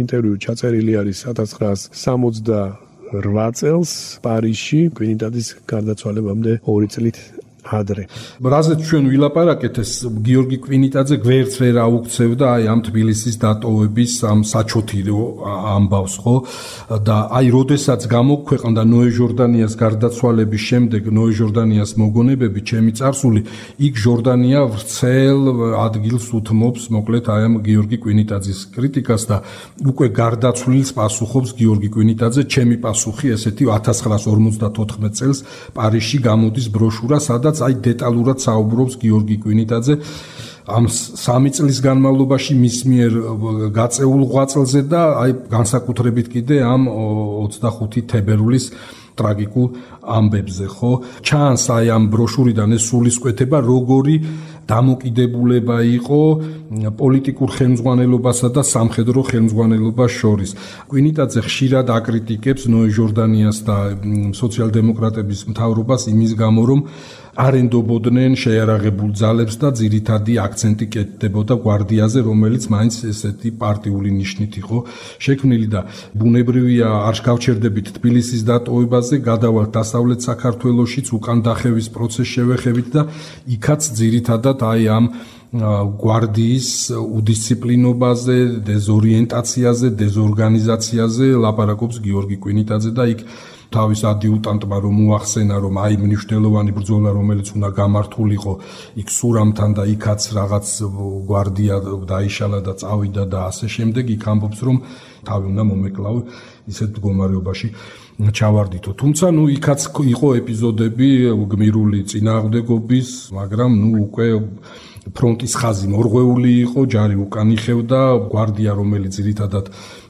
ინტერვიუ ჩაწერილი არის ათას ცხრაას სამოცდაორ წელს პარიზში კვინიტაძის გარდაცვალებამდე ორი წლით ადრე. რაზეც ჩვენ ვილაპარაკეთ, ეს გიორგი კვინიტაძე გვერდს ვერ აუქცევდა აი ამ თბილისის დატოვების ამ საჩოთირო ამბავს, ხო? და აი როდესაც გამოქვეყნდა ნოე ჟორდანიას გარდაცვალების შემდეგ ნოე ჟორდანიას მოგონებები, ჩემი წარსული, იქ ჟორდანია ვრცელ ადგილს უთმობს, მოკლედ აი ამ გიორგი კვინიტაძის კრიტიკას და უკვე გარდაცვლილს პასუხობს გიორგი კვინიტაძე. ჩემი პასუხი ესეთი ათას ცხრაას ორმოცდათოთხმეტ წელს პარიზში გამოდის ბროშურა, სადაც აი დეტალურად საუბრობს გიორგი კვინიტაძე ამ სამი წლის განმავლობაში მის მიერ გაწეულ ღვაწლზე და აი განსაკუთრებით კიდე ამ ოცდახუთი თებერვლის ტრაგიკულ ამბებზე, ხო? ჩანს აი ამ ბროშურიდან ეს სულისკვეთება, როგორი დამოკიდებულება იყო პოლიტიკურ ხელმძღვანელობასა და სამხედრო ხელმძღვანელობას შორის. კვინიტაძე ხშირად აკრიტიკებს ნოე ჟორდანიას და სოციალ-დემოკრატების მთავრობას იმის გამო, რომ არ ენდობოდნენ შეიარაღებულ ძალებს და ძირითადი აქცენტი კეთდებოდა გვარდიაზე, რომელიც მაინც ესეთი პარტიული ნიშნით იყო შექმნილი და ბუნებრივია არ გავჩერდებით თბილისის დატოვებაზე, გადავალთ დასავლეთ საქართველოშიც უკან დახევის პროცესს შევეხებით და იქაც ძირითადად აი ამ გვარდიის უდისციპლინობაზე, დეზორიენტაციაზე, დეზორგანიზაციაზე ლაპარაკობს გიორგი კვინიტაძე და იქ თავის ადიუტანტმა რომ უახსენა, რომ აი მნიშვნელოვანი ბრძოლა, რომელიც უნდა გამართულიყო იქ სურამთან და იქაც რაღაც გვარდია დაიშალა და წავიდა და ასე შემდეგ, იქ ამბობს, რომ თავი უნდა მომეკლავო ისეთ მდგომარეობაში ჩავარდითო. თუმცა ნუ იქაც იყო ეპიზოდები გმირული წინააღმდეგობის, მაგრამ ნუ უკვე ფრონტის ხაზი მორღვეული იყო, ჯარი უკან იხევდა, გვარდია რომელიც ძირითადად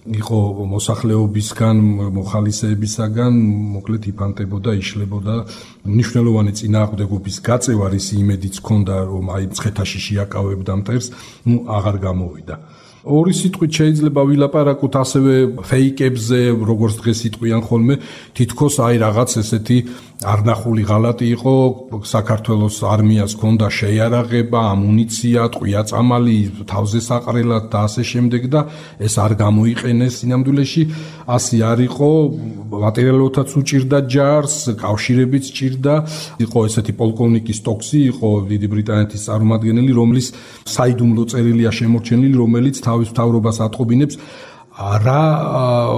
იყო მოსახლეობისგან, მოხალისეებისაგან, მოკლედ იფანტებოდა, იშლებოდა. მნიშვნელოვანი წინააღმდეგობის გაწევა რის იმედიც ჰქონდა, რომ აი მცხეთაში შეაკავებდა მტერს, ნუ აღარ გამოვიდა. ორი სიტყვით შეიძლება ვილაპარაკოთ ასევე ფეიკებზე, როგორც დღეს იტყვიან ხოლმე, თითქოს აი რაღაც ესეთი არნახული ღალატი იყო, საქართველოს არმიას ჰქონდა შეიარაღება, ამუნიცია, ტყვია-წამალი, თავზე საყრელად და ასე შემდეგ და ეს არ გამოიყენეს სინამდვილეში, ასე არ იყო, მატერიალურადაც უჭირდა ჯარს, კავშირებიც ჭირდა, იყო ესეთი პოლკოვნიკი სტოქსი, იყო დიდი ბრიტანეთის წარმომადგენელი, რომლის საიდუმლო წერილია შემორჩენილი, რომელიც თავის მთავრობას ატყობინებს რა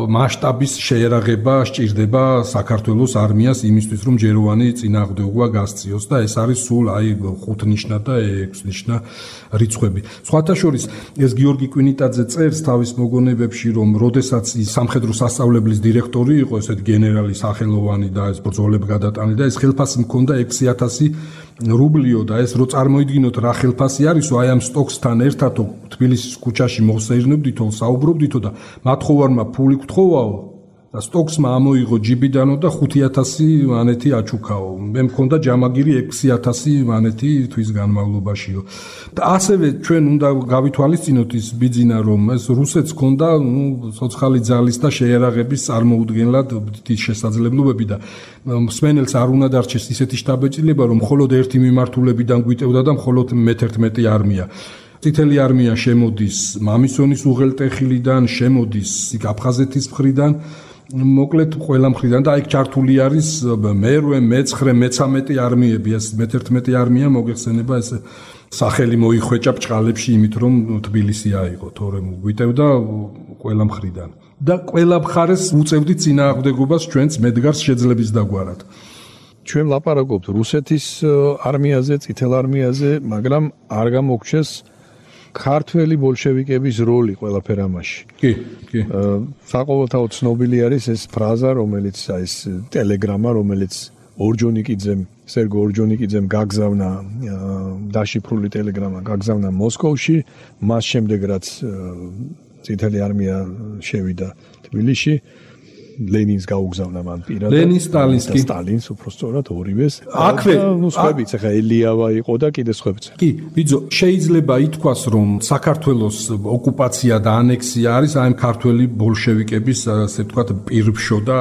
მასშტაბის შეიარაღება სჭირდება საქართველოს არმიას იმისთვის, რომ ჯეროვანი წინააღმდეგობა გასწიოს და ეს არის სულ აი ხუთნიშნა და ექვსნიშნა რიცხვები. სხვათა შორის ეს გიორგი კვინიტაძე წერს თავის მოგონებებში, რომ როდესაც ის სამხედრო სასწავლებლის დირექტორი იყო, ესეთ გენერალი სახელოვანი და ეს ბრძოლები გადატანილი და ეს ხელფასი მქონდა ექვსი ათასი რუბლიო და ეს რო წარმოიდგინოთ რა ხელფასი არისო, აი ამ სტოქსთან ერთადო თბილისის ქუჩაში მოხსეირნებდითო, საუბრობდითო და მათხოვარმა ფული გთხოვაო და სტოქსმა ამოიღო ჯიბიდანო და ხუთი ათასი მანეთი აჩუქაო. მე მქონდა ჯამაგირი ექვსი ათასი მანეთი თვის განმავლობაშიო. და ასევე ჩვენ უნდა გავითვალისწინოთ ის ბიძინა, რომ ეს რუსეთს ჰქონდა ნუ ცოცხალი ძალის და შეიარაღების წარმოუდგენლად დიდი შესაძლებლობები და მსმენელს არ უნდა დარჩეს ისეთი შტაბ-ბიჭდილება, რომ მხოლოდ ერთი მიმართულებიდან გვიტევდა და მხოლოდ მეთერთმეტე არმია. წითელი არმია შემოდის მამისონის უღელტეხილიდან, შემოდის აფხაზეთის მხრიდან, მოკლედ ყველა მხრიდან და იქ ჩართული არის მერვე, მეცხრე, მეცამეტე არმიები, ეს მეთერთმეტე არმია მოგეხსენება ეს სახელი მოიხვეჭა ბჭყალებში იმით, რომ თბილისი აიღო, თორემ გვიტევდა ყველა მხრიდან. და ყველა მხარეს უწევდით წინააღმდეგობას ჩვენც მედგარს შეძლების დაგვარად. ჩვენ ლაპარაკობთ რუსეთის არმიაზე, წითელ არმიაზე, მაგრამ არ გამოგჩეს ქართველი ბოლშევიკების როლი ყველაფერ ამაში. კი, კი. საყოველთაოდ ცნობილი არის ეს ფრაზა, რომელიც ეს ტელეგრამა, რომელიც ორჯონიკიძემ, სერგო ორჯონიკიძემ გაგზავნა დაშიფრული ტელეგრამა გაგზავნა მოსკოვში, მას შემდეგ რაც წითელი არმია შევიდა თბილისში, ლენინს გაუგზავნა მან პირადად. ლენინს, სტალინს კი. სტალინს უფრო სწორად ორივეს. აქვე ნუ სხვებიც, ახლა ელიავა იყო და კიდე სხვებიც. კი, ბიძო, შეიძლება ითქვას, რომ საქართველოს ოკუპაცია და ანექსია არის აი ამ ქართველი ბოლშევიკების, ასე ვთქვათ, პირბშო და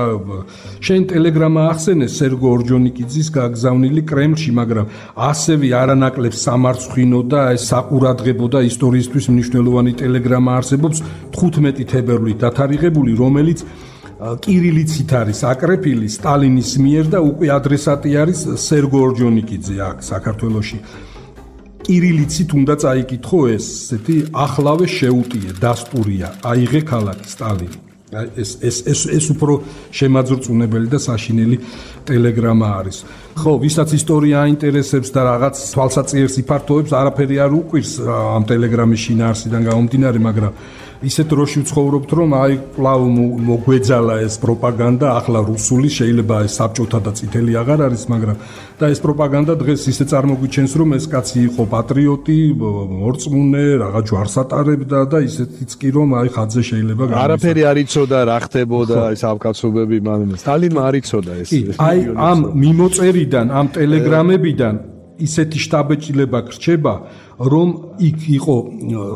შენ ტელეგრამა ახსენე სერგო ორჯონიკიძის გაგზავნილი კრემლში, მაგრამ ასევე არანაკლებ სამარცხვინო და ეს საყურადღებო და ისტორიისთვის მნიშვნელოვანი ტელეგრამა არსებობს თხუთმეტი თებერვლით დათარიღებული, რომელიც კირილიცით არის აკრეფილი სტალინის მიერ და უკვე ადრესატი არის სერგო ორჯონიკიძე აქ საქართველოში. კირილიცით უნდა წაიკითხო ეს, ესეთი ახლავე შეუტიე, დასპურია, აიღე ქალაქი სტალინი. ეს ეს ეს ეს უფრო შემაძრწუნებელი და საშინელი ტელეგრამა არის. ხო, ვისაც ისტორია აინტერესებს და რაღაც თვალსაწიერს იფართოვებს, არაფერი არ უყვირს ამ ტელეგრამის შინაარსიდან გამომდინარე, მაგრამ ისეთ დროში ვცხოვრობთ, რომ აი კვლავ მოგვეძალა ეს პროპაგანდა, ახლა რუსული, შეიძლება ეს საბჭოთა და წითელი აღარ არის, მაგრამ და ეს პროპაგანდა დღეს ისე წარმოგვიჩენს, რომ ეს კაცი იყო პატრიოტი, მორწმუნე, რაღაც ჯვარს ატარებდა და ისეთიც კი რომ აი ხაძე შეიძლება გამოსა. არაფერი არ იცოდა რა ხდებოდა ეს ავკაცობები, მაგრამ სტალინმა არ იცოდა ეს. აი ამ მიმოწერიდან, ამ ტელეგრამებიდან ისეთი შტაბეჭდილება გრჩება, რომ იქ იყო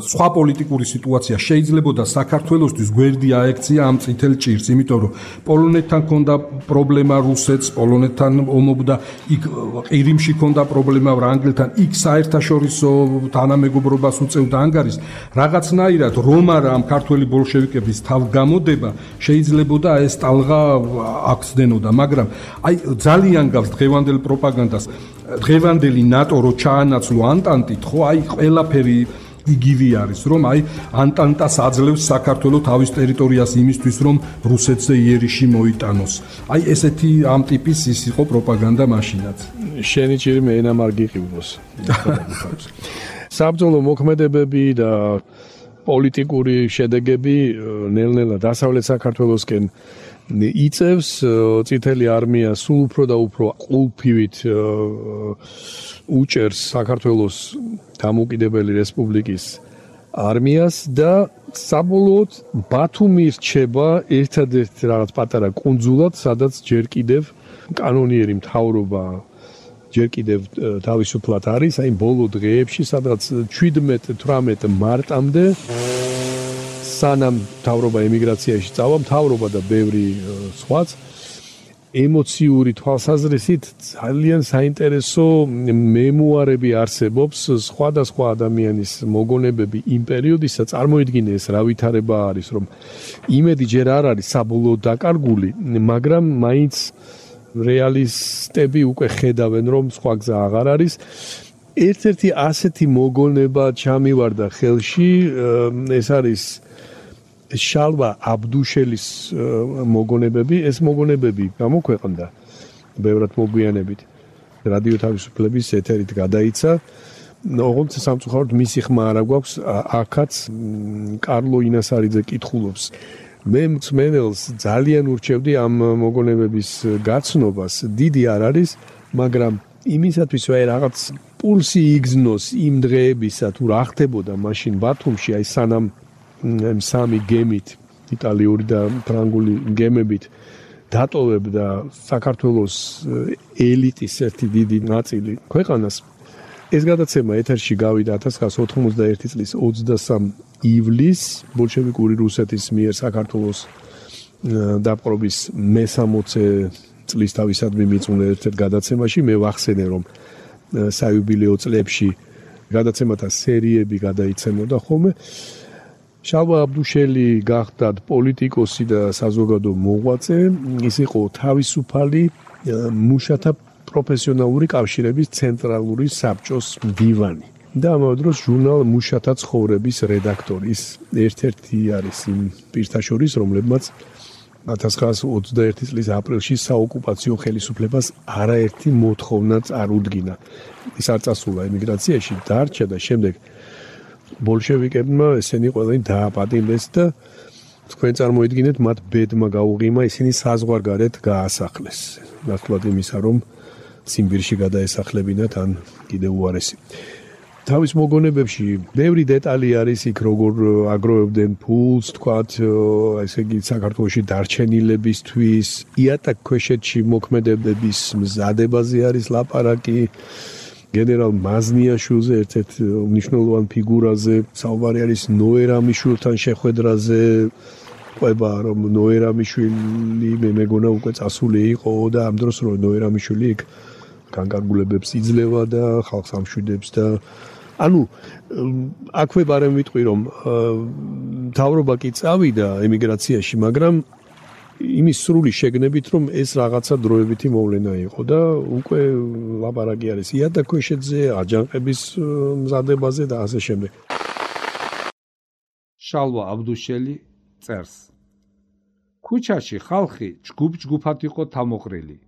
სხვა პოლიტიკური სიტუაცია, შეიძლებოდა საქართველოსთვის გვერდი აექცია ამ წითელ ჭირს, იმიტომ რომ პოლონეთთან ჰქონდა პრობლემა რუსეთს, პოლონეთთან ომობდა, იქ ყირიმში ჰქონდა პრობლემა ვრანგელთან, იქ საერთაშორისო თანამეგობრობას უწევდა ანგარიშს, რაღაცნაირად რომ არა ამ ქართველი ბოლშევიკების თავგამოდება შეიძლებოდა ეს ტალღა აქცდენოდა, მაგრამ აი ძალიან გავს დღევანდელ პროპაგანდას დღევანდელი ნატო რო ჩაანაცვლო ანტანტით, ხო, აი ყველაფერი იგივე არის, რომ აი ანტანტას აძლევს საქართველოს თავის ტერიტორიას იმისთვის, რომ რუსეთზე იერიში მოიტანოს. აი ესეთი ამ ტიპის ის იყო პროპაგანდა მაშინაც. შენი ჭირი მე ენამ არ გიყივნოს. საბრძოლო მოქმედებები და პოლიტიკური შედეგები ნელ-ნელა დასავლეთ საქართველოსკენ იწევს წითელი არმია სულ უფრო და უფრო ყულფივით უჭერს საქართველოს დამოუკიდებელი რესპუბლიკის არმიას და საბოლოოდ ბათუმი რჩება ერთადერთ რაღაც პატარა კუნძულად, სადაც ჯერ კიდევ კანონიერი მთავრობა ჯერ კიდევ თავისუფლად არის, აი ბოლო დღეებში, სადაც შვიდმეტ თვრამეტ მარტამდე სანამ მთავრობა ემიგრაციაში წავა, მთავრობა და ბევრი სხვაც ემოციური თვალსაზრისით ძალიან საინტერესო მემუარები არსებობს სხვადასხვა ადამიანის მოგონებები იმ პერიოდისა, წარმოიდგინე ეს რა ვითარება არის, რომ იმედი ჯერ არ არის საბოლოოდ დაკარგული, მაგრამ მაინც რეალისტები უკვე ხედავენ, რომ სხვა გზა აღარ არის. ერთ-ერთი ასეთი მოგონება ჩამივარდა ხელში, ეს არის შალვა აბდუშელის მოგონებები, ეს მოგონებები გამოქვეყნდა ბევრად მოგვიანებით. რადიო თავისუფლების ეთერით გადაიცა. ოღონდ სამწუხაროდ მისი ხმა არ აქვს, აქაც კარლო ინასარიძე კითხულობს. მე მსმენელს ძალიან ურჩევდი ამ მოგონებების გაცნობას, დიდი არ არის, მაგრამ იმისათვის რომ რაღაც პულსი იგზნოს იმ დღეებისა, თუ რა ხდებოდა მაშინ ბათუმში, აი სანამ სამი გემით, იტალიური და ფრანგული გემებით დატოვებდა საქართველოს ელიტის ერთი დიდი ნაწილი ქვეყანას. ეს გადაცემა ეთერში გავიდა ათას ცხრაასა ოთხმოცდაერთი წლის ოცდასამი ივლისს ბოლშევიკური რუსეთის მიერ საქართველოს დაპყრობის მესამოცე წლის თავისადმი მიწვნა ერთ-ერთ გადაცემაში. მე ვახსენე, რომ საიუბილეო წლებში გადაცემათა სერიები გადაიცემოდა ხოლმე. შალვა აბდუშელი გახდათ პოლიტიკოსი და საზოგადო მოღვაწე, ის იყო თავისუფალი მუშათა პროფესიონალური კავშირების ცენტრალური საბჭოს მდივანი და ამავე დროს ჟურნალ მუშათა ცხოვრების რედაქტორი. ის ერთ-ერთი არის იმ პირთა შორის, რომლებმაც ათას ცხრაასი ოცდაერთი წლის აპრილში საოკუპაციო ხელისუფლებას არაერთი მოთხოვნა წარუდგინა. ის არ წასულა ემიგრაციაში, დარჩა და შემდეგ ბოლშევიკებმა ესენი ყველანი დააპატიმრეს და თქვენ წარმოიდგინეთ, მათ ბედმა გაუღიმა, ისინი საზღვარგარეთ გაასახლეს. ნაცვლად იმისა, რომ ციმბირში გადაესახლებინათ ან კიდევ უარესი. თავის მოგონებებში ბევრი დეტალი არის იქ, როგორ აგროვებდნენ ფულს, თქვათ, ესე იგი საქართველოში დარჩენილებისთვის, იატაკქვეშეთში მოქმედებების მზადებაზე არის ლაპარაკი. გენერალ მაზნიაშვილზე, ერთ-ერთ მნიშვნელოვან ფიგურაზე, საუბარი არის ნოერამიშვილთან შეხვედრაზე, ყვება რომ ნოერამიშვილი მე მეგონა უკვე წასული იყო და ამ დროს რომ ნოერამიშვილი იქ განკარგულებებს იძლევა და ხალხს ამშვიდებს და ანუ აქვე ბარემ ვიტყვი რომ მთავრობა კი წავიდა ემიგრაციაში, მაგრამ იმის სრული შეგნებით რომ ეს რაღაცა დროებითი მოვლენა იყო და უკვე ლაპარაკი არის იატაკქვეშეთზე, აჯანყების მზადებაზე და ასე შემდეგ. შალვა აბდუშელი წერს: ქუჩაში ხალხი ჯგუფ-ჯგუფად იყო თამოყრილი.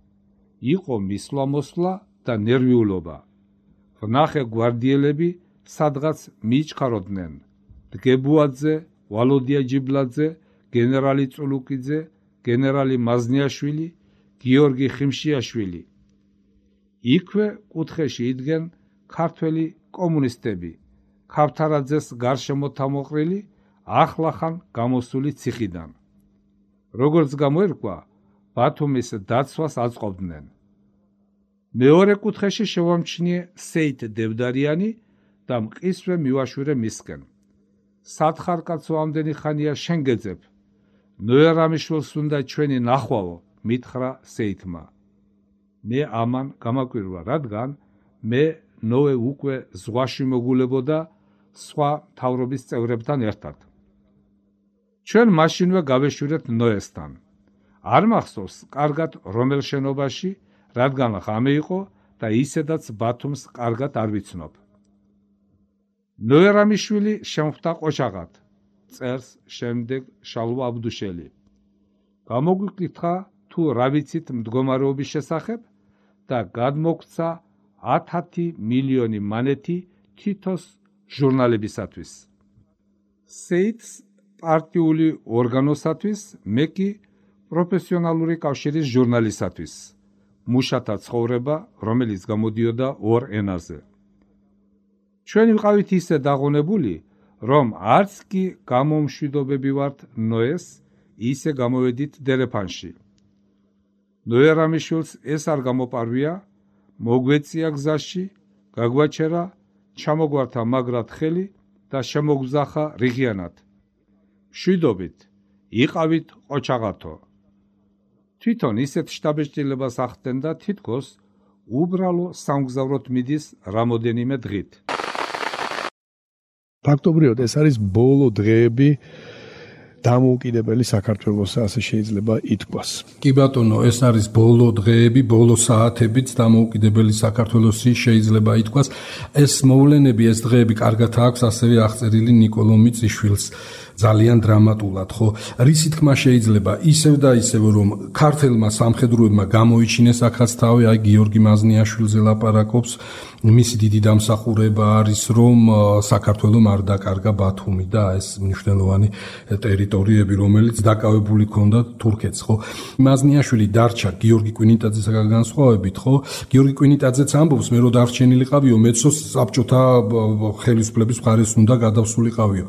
იყო მისვლა-მოსვლა და ნერვიულობა. ვნახე გვარდიელები სადღაც მიიჩქაროდნენ. დგებუაძე, ვალოდია ჯიბლაძე, გენერალი წულუკიძე, გენერალი მაზნიაშვილი, გიორგი ხიმშიაშვილი. იქვე კუთხეში იდგენ ქართველი კომუნისტები, ქავთარაძეს გარშემო თამოყრილი, ახლახან გამოსული ციხიდან. როგორც გამოერკვა, ბათუმის დაცვას აწყობდნენ. მეორე კუთხეში შევამჩნიე სეით დევდარიანი და მყისვე მივაშვირე მისკენ. სათხარ კაცო ამდენი ხანია შენ გეძებ. ნოერამიშვილს უნდა ჩვენი ნახვაო, მითხრა სეითმა. მე ამან გამაკვირვა, რადგან მე ნოე უკვე ზღვაში მოგულებოდა სხვა მთავრობის წევრებთან ერთად. ჩვენ მაშინვე გავეშვირეთ ნოესთან. არ მახსოვს კარგად რომელ შენობაში, რადგან ღამე იყო და ისედაც ბათუმს კარგად არ ვიცნობ. ნოერამიშვილი შემხვდა ყოჩაღად, წერს შემდეგ შალვა აბდუშელი. გამოგვიკითხა თუ რა ვიცით მდგომარეობის შესახებ და გადმოგცა ათი მილიონი მანეთი თითოს ჟურნალებისათვის. სეითს პარტიული ორგანოსათვის, მე კი პროფესიონალური კავშირის ჟურნალისათვის. მუშათა ცხოვრება, რომელიც გამოდიოდა ორ ენაზე. ჩვენ ვიყავით ისე დაღონებული, რომ არც კი გამომშვიდობები ვართ ნოეს, ისე გამოვედით დერეფანში. ნოერამიშვილს ეს არ გამოპარვია, მოგვეწია გზაში, გაგვაჩერა, ჩამოგვართა მაგრად ხელი და შემოგზახა რიღიანად. მშვიდობით, იყავით ყოჩაღათო. თვითონ ისეთ შტაბეჭდილებას ახდენდა თითქოს უბრალო სამგზავროდ მიდის რამოდენიმე დღით. ფაქტობრივად ეს არის ბოლო დღეები დამოუკიდებელი საქართველოს, ასე შეიძლება ითქვას. კი ბატონო, ეს არის ბოლო დღეები, ბოლო საათებიც დამოუკიდებელი საქართველოსი შეიძლება ითქვას. ეს მოვლენები, ეს დღეები კარგად აქვს ასევე აღწერილი ნიკოლო მიწიშვილს ძალიან დრამატულად, ხო? რისი თქმა შეიძლება ისევ და ისევ რომ ქართელმა სამხედროებმა გამოიჩინეს აქაც თავი, აი გიორგი მაზნიაშვილზე ლაპარაკობს, მისი დიდი დამსახურება არის რომ საქართველოს არ დაკარგა ბათუმი და ეს მნიშვნელოვანი ტერიტორიები, რომელიც დაკავებული ჰქონდა თურქეთს, ხო? მაზნიაშვილი დარჩა გიორგი კვინიტაძესაგან განსხვავებით, ხო? გიორგი კვინიტაძეც ამბობს, მე რო დარჩენილიყავიო, მეცოს საბჭოთა ხელისუფლების მხარეს უნდა გადავსულიყავიო.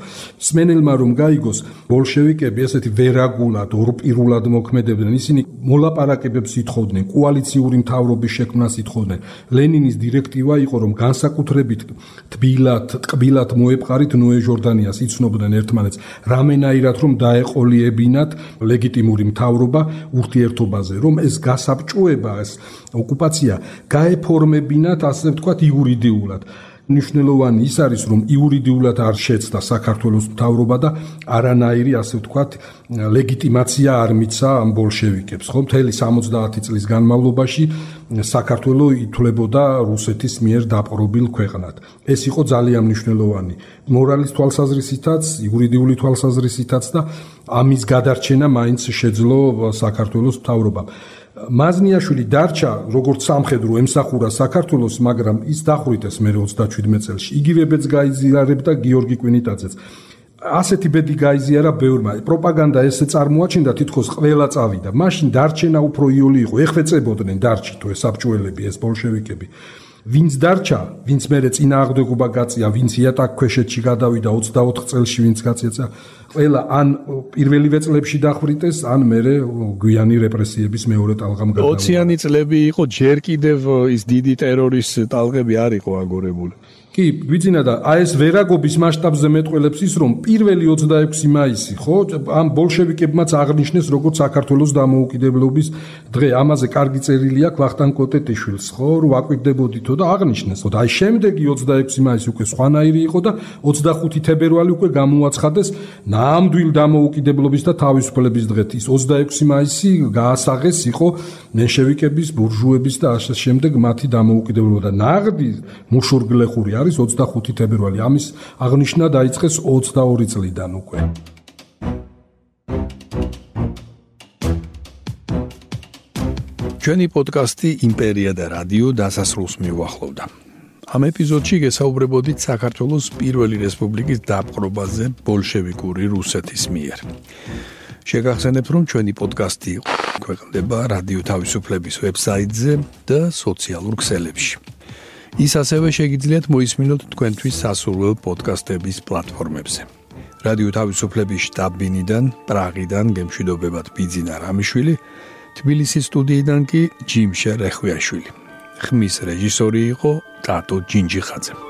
სმენელმა რომ გაიგოს ბოლშევიკები ესეთი ვერაგულად, ორპირულად მოქმედებდნენ, ისინი მოლაპარაკებებს ითხოვდნენ, კოალიციური მთავრობის შექმნას ითხოვდნენ. ლენინის დირექტივა იყო რომ განსაკუთრებით თბილად, ტკბილად მოეპყარით ნოე ჟორდანიას, იცნობდნენ ერთმანეთს, რამენაირად რომ დაეყოლიებინათ ლეგიტიმური მთავრობა ურთიერთობაზე, რომ ეს გასაბჭოება, ეს ოკუპაცია გაეფორმებინათ, ასე ვთქვათ, იურიდიულად. მნიშვნელოვანი ის არის, რომ იურიდიულად არ შეცდა საქართველოს მთავრობა და არანაირი, ასე ვთქვათ, ლეგიტიმაცია არ მიცა ამ ბოლშევიკებს, ხო? მთელი სამოცდაათი წლის განმავლობაში საქართველო ითვლებოდა რუსეთის მიერ დაპყრობილ ქვეყნად. ეს იყო ძალიან მნიშვნელოვანი მორალის თვალსაზრისითაც, იურიდიული თვალსაზრისითაც და ამის გადარჩენა მაინც შეძლო საქართველოს მთავრობამ. მაზნიაშვილი დარჩა როგორც სამხედრო ემსახურა საქართველოს, მაგრამ ის დახვრიტეს მე ოცდაშვიდმეტ წელს. იგივებიც გაიზიარებდა გიორგი კვინიტაძეც. ასეთი ბედი გაიზიარა ბევრმა. პროპაგანდა ესე წარმოაჩინდა, თითქოს ყველა წავიდა. მაშინ დარჩენა უფრო იოლი იყო. ეხლა წებოდნენ დარჩით ეს საბჭოელები, ეს ბოლშევიკები. ვინც დარჩა, ვინც მერე წინააღმდეგობა გაწია, ვინც იატაკ ქვეშეთში გადავიდა ოცდაოთხ წელში, ვინც გაწიეცა, ყველა ან პირველივე წლებში დახვრიტეს, ან მერე გვიანი რეპრესიების მეორე ტალღამ გადავიდა. ოციანი წლები იყო, ჯერ კიდევ ის დიდი ტერორის ტალღები არ იყო აგორებული. კი, ვიცინა და აი ეს ვერაგობის მასშტაბზე მეტყველებს ის, რომ პირველი ოცდაექვსი მაისი, ხო, ამ ბოლშევიკებმაც აღნიშნეს როგორც საქართველოს დამოუკიდებლობის დღე. ამაზე კარგი წერილი აქვს ვახტანგ კოტეტიშვილს, ხო, რომ აკვირდებოდითო და აღნიშნეს, ხო, და აი შემდეგი ოცდაექვსი მაისი უკვე სხვანაირი იყო და ოცდახუთი თებერვალი უკვე გამოაცხადეს ნამდვილ დამოუკიდებლობის და თავისუფლების დღედ. ის ოცდაექვსი მაისი გაასაღეს იყო მენშევიკების, ბურჟუების და ასე შემდეგ მათი დამოუკიდებლობა და ნაღდი მუშურგლეხური არის ოცდახუთი თებერვალი. ამის აღნიშვნა დაიწყეს ოცდაორი წლიდან უკვე. ჩვენი პოდკასტი იმპერია და რადიო დასასრულს მიუახლოვდა. ამ ეპიზოდში გესაუბრებოდით საქართველოს პირველი რესპუბლიკის დაპყრობაზე ბოლშევიკური რუსეთის მიერ. შეგახსენებთ, რომ ჩვენი პოდკასტი ქვეყნდება რადიო თავისუფლების ვებსაიტზე და სოციალურ ქსელებში. ის ასევე შეგიძლიათ მოისმინოთ თქვენთვის სასურველ პოდკასტების პლატფორმებზე. რადიო თავისუფლების შტაბ-ბინიდან, პრაღიდან გემშვიდობებათ ბიძინა რამიშვილი, თბილისის სტუდიიდან კი ჯიმშე რეხვიაშვილი. ხმის რეჟისორი იყო ტატო ჯინჯიხაძე.